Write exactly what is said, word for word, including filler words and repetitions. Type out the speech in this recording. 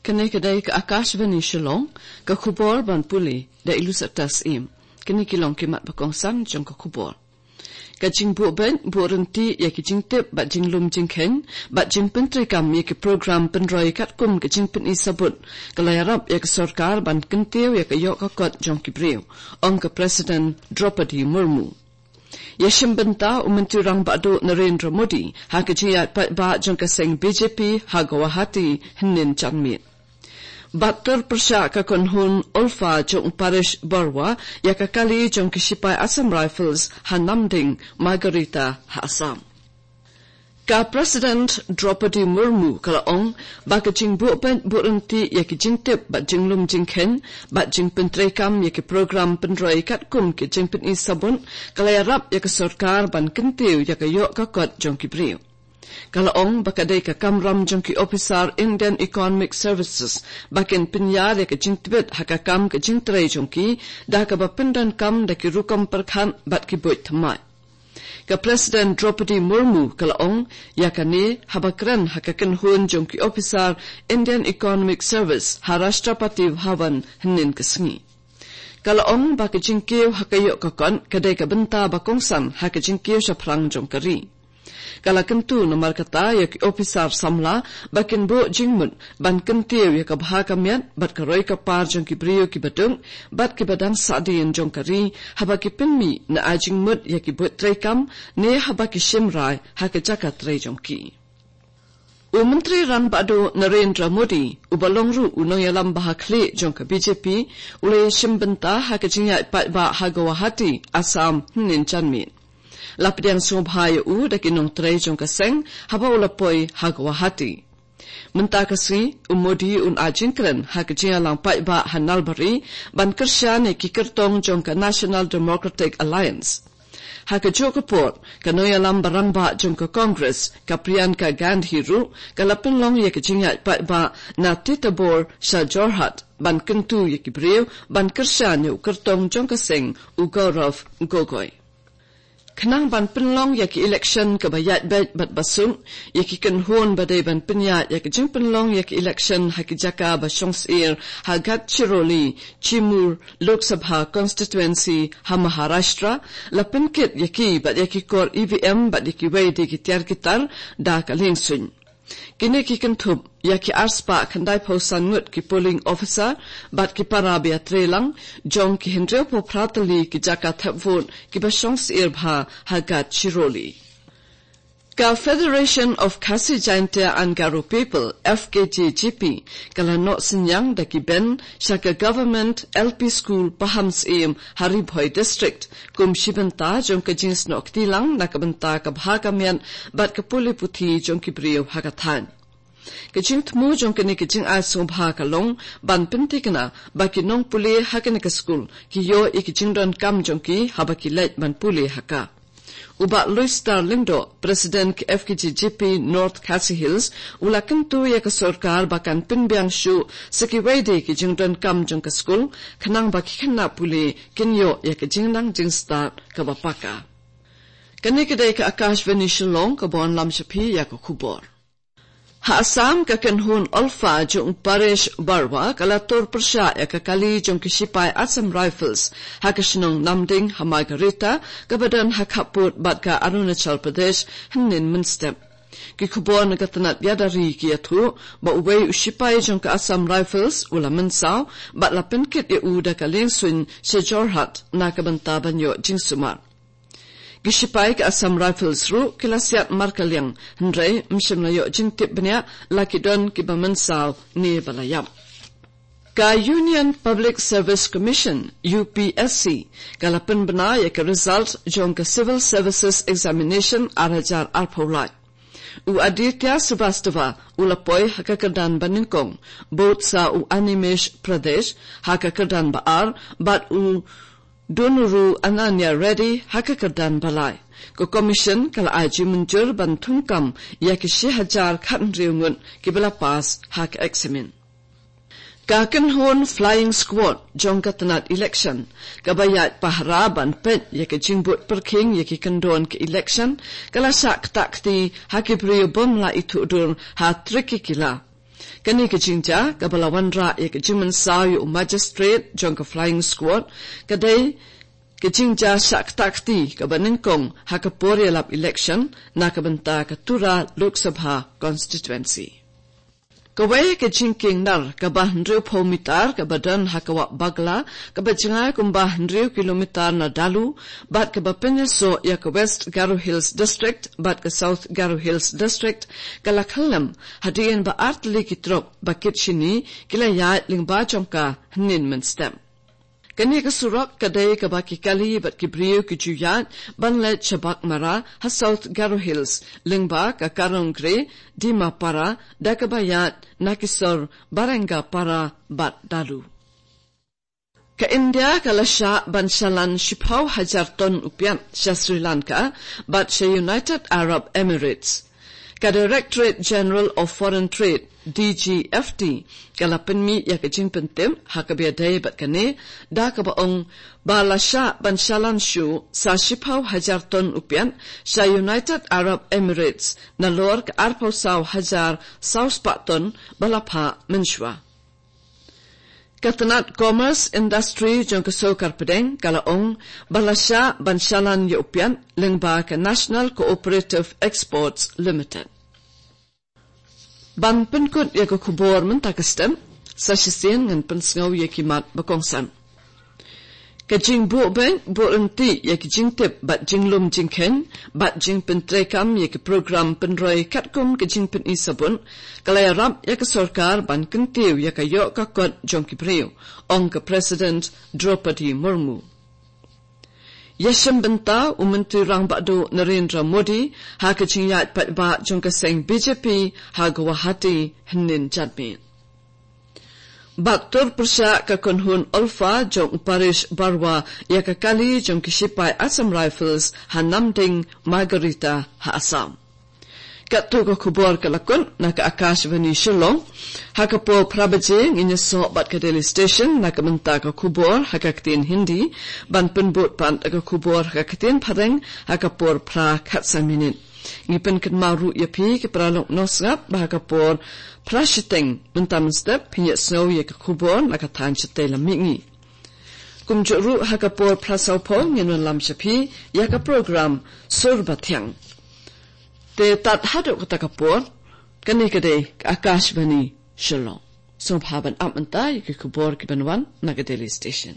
Kane ka dei ka Akashvani Shillong, ka khubor ban pule da i Lusata Syiem. Kine ki long ki mat ba kongsan jong ka khubor. Ka jingbuh beit buh ryntih ïa ki jingtip bad jinglum jingkheiñ bad jingpyntreikam ïa ki program pynroi katkum ka jingpyni sabut ka la ïarap ïa ka sorkar ban kyntiew ïa ka ïoh ka kot jong ki briew, ong ka President Draupadi Murmu. Ïa shim bynta u Myntri Rangbah Duh Narendra Modi ha ka jingïaid paidbah jong ka seng B J P ha Guwahati hynnin janmiet. Bad tur pyrshah ka kynhun ULFA jong u Paresh Baruah ïa ka kali jong ki shipai Assam Rifles ha Namding, Margherita ha Assam. Ka President Draupadi Murmu ka la ong ba ka jingbuh beit buh ryntih ïa ki jingtip bad jinglum jingkheiñ bad jingpyntreikam ïa ki program pynroi katkum ki jingpyni sabut ka la ïarap ïa ka sorkar ban kyntiew ïa ka ïoh ka kot jong ki briew. Ka la ong ba ka dei ka kamram jong ki ophisar Indian Economic Services ba kin pynïar ïa ka jingtbit ha ka kam ka jingtrei jong ki da kaba pyndonkam da ki rukom pyrkhat bad ki buit thymmai. Ka President Draupadi Murmu ka la ong ïa kane haba kren ha ka kynhun jong ki ophisar Indian Economic Service ha Rashtrapati Bhavan hynnin ka sngi. Ka la ong ba ka jingkiew ha ka ïoh ka kot ka dei ka bynta ba kongsan ha ka jingkiew shaphrang jong ka ri. Ka la kyntu namar kata ïa ki ophisar samla ba kin buh jingmut ban kyntiew ïa ka bha ka miat bad ka roi ka par jong ki briew kiba duk bad kiba dang sahdien jong ka ri haba ki pynmih na ai jingmut ïa ki buit treikam ne haba ki shim rai ha ka jaka trei jong ki. U Myntri Rangbah Duh Narendra Modi, uba long ruh u nongïalam ba ha khlieh jong ka B J P, u la ïashim bynta ha ka jingïaid paidbah ha Guwahati, Assam, hynnin janmiet. La pdiang sngewbha ïa u da ki nongtrei jong ka seng haba u la poi ha Guwahati. Mynta ka sngi, u Modi un ai jingkren ha ka jingïalang paidbah ha Nalbari ban kyrshan ïa ki kyrtong jong ka National Democratic Alliance. Ha kajuh ka por, ka nongïalam ba rangbah jong ka Congress, ka Priyanka Gandhi ruh, ka la pynlong ïa ka jingïaid paidbah na Titarbor sha Jorhat ban kyntu ïa ki briew ban kyrshan ïa u kyrtong jong ka seng, u Gaurav Gogoi. Khnang ban pynlong ïa ki election kaba ïaid beit bad ba suk, ïa ki kynhun ba dei ban pynïaid ïa ka jingpynlong ïa ki election ha ki jaka ba shong syier ha Gadchiroli, Chimur Lok Sabha Constituency ha Maharashtra, la pynkit ïa ki bad ïa ki kor E V M bad ïa kiwei de ki tiar ki tar da ka liengsuiñ. Kine ki kynthup ïa ki arspah khyndaiphew san ngut ki polling officer bad ki para ba ïatreilang jong ki hynriewphew phra tylli ki jaka thep vote kiba shong syier bha ha Gadchiroli. Ka Federation of Khasi Jaintia and Garo People, F K J G P, ka la noh synñiang da ki Ben sha ka Government L P School Pahamsyiem ha Ri Bhoi District, kum shi bynta jong ka jingsnoh kti lang na ka bynta ka bha ka miat bad ka pule puthi jong ki briew ha ka thaiñ. Ka jingthmu jong kane ka jingai sngewbha ka long ban pynthikna ba ki nongpule ha kane ka skul ki ïoh ïa ki jingdonkam jong ki haba ki leit ban pule ha ka. U Bah Louis Star Lyngdoh, President ka F K J G P North Khasi Hills, u la kyntu ïa ka sorkar ba kan pynbiang shuh sa kiwei de ki jingdonkam jong ka skul, khnang ba ki khynnah pule kin ïoh ïa ka jingnang jingstad kaba paka. Kane ka dei ka Akashvani Shillong kaba wanlam sha phi ïa ka khubor. Ha Assam, ka kynhun ULFA jong u Paresh Baruah ka la tur pyrshah ïa ka kali jong ki shipai Assam Rifles ha ka shnong Namding ha Margherita, kaba don ha khappud bad ka Arunachal Pradesh, hynnin mynstep. Ki khubor na ka tnat ïada ri ki ïathuh ba uwei u shipai jong ka Assam Rifles u la mynsaw bad la pynkit ïa u da ka liengsuiñ sha Jorhat na ka bynta ban ïoh jingsumar. Ki shipai ka Assam Rifles ruh ki la siat markylliang, hynrei ym shym la ïoh jingtip bniah la ki don kiba mynsaw ne ba la ïap. Ka Union Public Service Commission, U P S C, ka la pynbna ïa ka result jong ka Civil Services Examination ar hajar arphew lai. U Aditya Srivastava u la poi ha ka kyrdan ba nyngkong, bud sa u Animesh Pradesh ha ka kyrdan ba ar, bad u Dunuru Ananya Reddy ha ka kyrdan ba lai. Ka Commission ka la ai jingmynjur ban thungkam ïa ki shi hajar khathynriew ngut kiba la pass ha ka eksamin. Ka kynhun Flying Squad jong ka tnat election, kaba ïaid pahara ban peit ïa ka jingbud pyrkhing ïa ki kyndon ka election, ka la shah ktah kti ha ki briew bym la ithuh dur ha Trikikila. Kane ka jingjia kaba la wanrah ïa ka jingmynsaw ïa u magistrate jong ka flying squad ka dei ka jingjia shah kti kaba nyngkong ha ka por ïalap election na ka bynta ka Tura Lok Sabha constituency. Kawei ka jingkieng nar kaba hynriewphew mitar kaba don ha ka wah Bagla kaba jngai kumba hynriew kilometer na Dalu bad kaba pynïasoh ïa ka West Garo Hills District bad ka South Garo Hills District ka la khyllem hadien ba artylli ki trok ba kit shini ki la ïaid lyngba jong ka hynnin mynstep. Kane ka surok ka dei kaba ki kali bad ki briew ki ju ïaid ban leit sha Baghmara ha South Garo Hills lyngba ka Karongre, Dimapara da kaba ïaid na ki sor Barengapara bad Dalu. Ka India ka la shah ban shalan shiphew hajar ton u piat sha Sri Lanka bad sha United Arab Emirates. Ka Directorate General of Foreign Trade, D G F T, ka la pynmih ïa ka jingpyntip ha kaba ïadei bad kane da kaba ong ba la shah ban shalan shuh sa shiphew hajar ton u piat sha United Arab Emirates nalor ka arphew saw hajar saw spah ton ba la phah mynshuwa. Ka tnat Commerce Industry jong ka sorkar pdeng ka la ong ba la shah ban shalan ïa u piat lyngba ka National Cooperative Exports Limited. Ban pynkut ïa ka khubor mynta ka step, sa shisien ngan pynsngew ïa ki mat ba kongsan. Ka jingbuh beit buh ryntih ïa ki jingtip bad jinglum jingkheiñ bad jingpyntreikam ïa ki program pynroi katkum ka jingpyni sabut ka la ïarap ïa ka sorkar ban kyntiew ïa ka ïoh ka kot jong ki briew, ong ka President Droupadi Murmu. Ïashim bynta u Myntri Rangbah Duh Narendra Modi ha ka jingïaid paidbah jong ka seng B J P ha Guwahati hynnin janmiet. Bad tur pyrshah ka kynhun ULFA jong u Paresh Baruah ïa ka kali jong ki shipai Assam Rifles ha Namding Margherita ha Assam. Katto ka khubor ka la kut na ka Akashvani Shillong. Ha ka por phra baje ngin ïasoh bad ka Delhi Station na ka bynta ka khubor ha ka ktien Hindi, ban pynbud pat ka khubor ha ka ktien Phareng ha ka por phra khatsan minit. Ngi pynkynmaw ruh ïa phi ki paralok nongsngap ba ha ka por phra shiteng mynta mynstep phin ïohsngew ïa ka khubor na ka thaiñ shatei lam mihngi. Kumjuh ruh ha ka por phra sawphew ngin wanlam sha phi ïa ka program Sur Bathiang. Te tad haduh kata ka por, kane ka dei ka Akashvani Shillong. Sngewbha ban ap mynta ïa ki khubor kiban wan na ka Delhi Station.